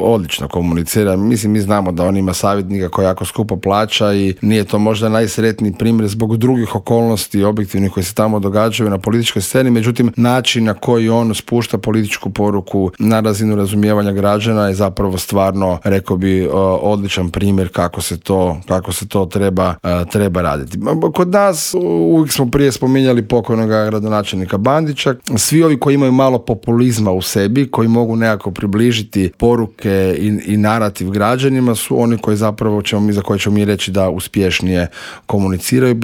odlično komunicira. Mislim, mi znamo da on ima savjetnika koji jako skupo plaća i nije to možda najsretniji primjer zbog drugih okolnosti objektivnih koji se tamo događaju na političkoj sceni, međutim način na koji on spušta političku poruku na razinu razumijevanja građana je zapravo stvarno, rekao bi, odličan primjer kako se to treba raditi. Kod nas uvijek smo prije spominjali pokojnog gradonačelnika Bandića. Svi ovi koji imaju malo populizma u sebi, koji mogu nekako približiti poruke i narativ građanima su oni koji zapravo za koje ćemo mi reći da uspješnije komuniciraju,